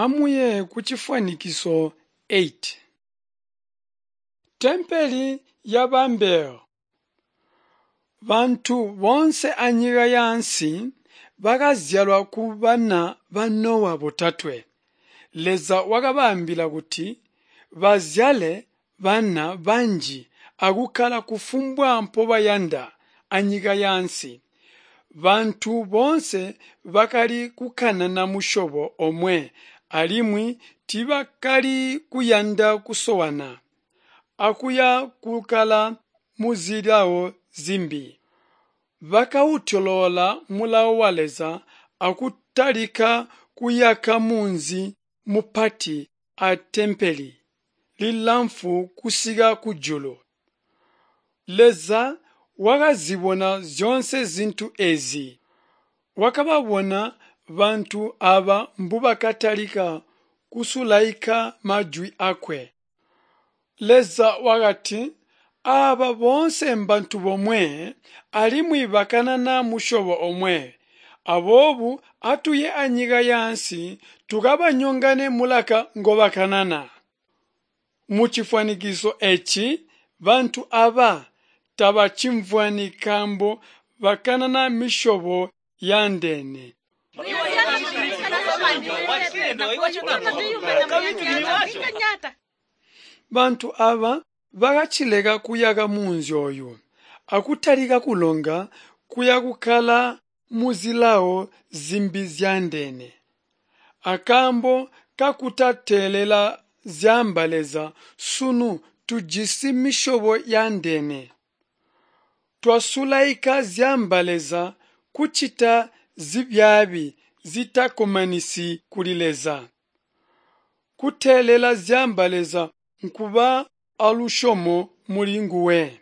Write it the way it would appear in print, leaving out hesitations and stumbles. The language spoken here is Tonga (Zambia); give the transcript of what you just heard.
Amuye kucifwanikiso 8. Tempeli ya Babelo. Bantu boonse anyika yaansi bakazyalwa kubana ba Nowa botatwe. Leza wakabaambila kuti bazyale bana banji akukkala kufumbwa mpobayanda anyika yaansi. Bantu boonse bakali kukanana musyobo omwe alimwi tiibakali kuyanda kusowana akuya kukkala muzilawo zimbi. Bakautyoloola mulawo wa Leza akutalika kuyaka munzi mupati atempele lilamfwu kusika kujulu. Leza wakazibona zyoonse zintu eezi. Wakababona bantu aaba mbubakatalika kusulaika majwi aakwe. Leza wakati, Aaba boonse mbantu bomwe alimwi bakanana musyobo omwe. Aboobo atuye anyika yaansi tukabanyongane mulaka ngobakanana. Mucifwanikiso eeci bantu aaba tabacimvwani nkaambo bakanana misyobo yaandeene. Bantu aaba bakacileka kuyaka munzi ooyu akutalika kulonga kuya kukkala muzilawo zimbi zyaandeene. Akaambo kakutateelela zyaamba Leza sunu tujisi misyobo yaandeene. Twasulaika zyaamba Leza kucita zibyaabi zitakkomanisyi kuli Leza. Kuteelela zyaamba Leza nkuba alusyomo muli nguwe.